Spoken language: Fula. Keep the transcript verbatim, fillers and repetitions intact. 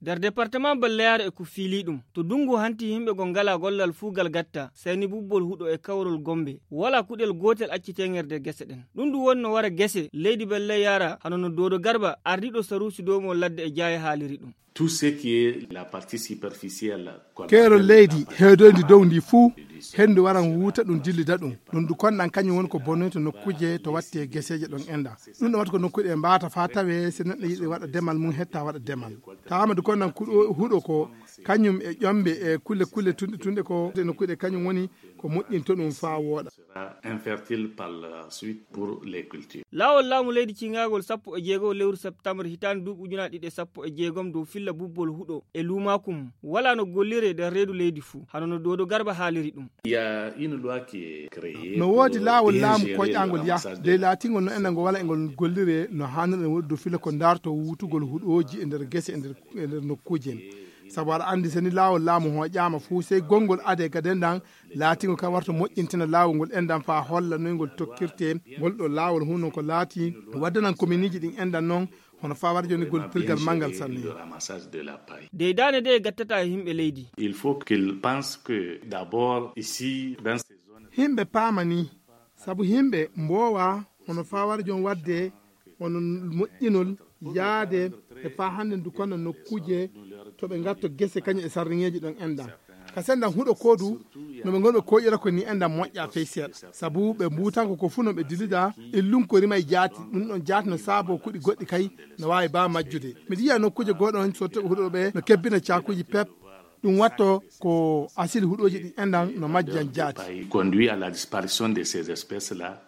Nder departement balleyaare e ko fiilii ɗum, to dunngu hanti yimɓe go ngalaa gollal fuu gal gatta, seyni bubbol huɗo e kawrol gombe. Walaa kuɗel gootel acciteeŋerde gese ɗen. Ɗum ɗum woni no wara gese leydi balleyaara, hano no doodo garba ardiiɗo saruusi dow mo ladde e jaaye haaliri ɗum. Tout ce qui est la partie superficielle, keerol leydi heedoyndi dow ndi fuu, henndu waran wuuta ɗum dillida ɗum. Ɗum ɗum konɗan kañum woni ko bonoyta nokkuuje to watti e geseeje ɗon enda. Ɗum ɗo watta ko nokkuuɗe mbaata faa tawee si neɗɗo yiɗi waɗa demal mum hetta waɗa demal. Taama du konɗan kuɗo huɗo ko kañum e ƴombe e kulle kulle tunɗe tunɗe ko e nokkuuɗe kañum woni ko moƴƴinto ɗum faa wooɗa. Infertile par la suite pour les cultures. Laawol laamu leydi ciŋaagol sappo e jeego lewru septembre hitaande duuɓi ujunaaɗe ɗiɗi e sappo e jeegom dow filla bubbol huɗo e luumaaku mum walaa no golliree nder reedu leydi fuu, hano no doodo garba haaliri ɗum. Il y a une loi qui est créée. No woodi laawol laamu koyɗaangol yah dey laatingol no enen ngo wala engol golliree no haanir en woodi dow filla ko ndaarto wuutugol huɗooji e nder gese e nder e nder nokkuuji en. Sabu aɗa anndi seni laawol laamu hooƴaama fuu sey gonngol adee gaden ɗan laatingol ka warta moƴƴintina laawol ngol enɗan faa holla noy ngol tokkirtee. Ngol ɗo laawol huno ko laati waddanan kominiiji ɗin enɗan non hono faa wara jooni ngol pirgal manngal sanne. Deydaande de gattata e yimɓe leydi. Il faut qu'il pense que d'abord ici dans ces zones. Yimɓe paama ni sabu yimɓe mboowa hono faa wara jooni waɗde hono moƴƴinol yaade e faa hannde ndu kono nokkuuje to ɓe ngatto gese kañum e sarriŋeeji ɗon enɗan ka sendan huɗo koodu no ɓe ngonɓe koƴira ko ni enɗan moƴƴa fey seeɗa sabu ɓe mbuutanko ko fuu no ɓe dilida illun ko rima e jaati ɗum ɗon jaati no saabo kuɗi goɗɗi kay no waawi baa majjude miɗo yiya nokkuuje gooɗon so toɓe huɗo ɓe no kebbina caakuuji pep ɗum watto ko asili huɗooji ɗin enɗan no majjan jaati. Conduit à la disparition de ces espèces là.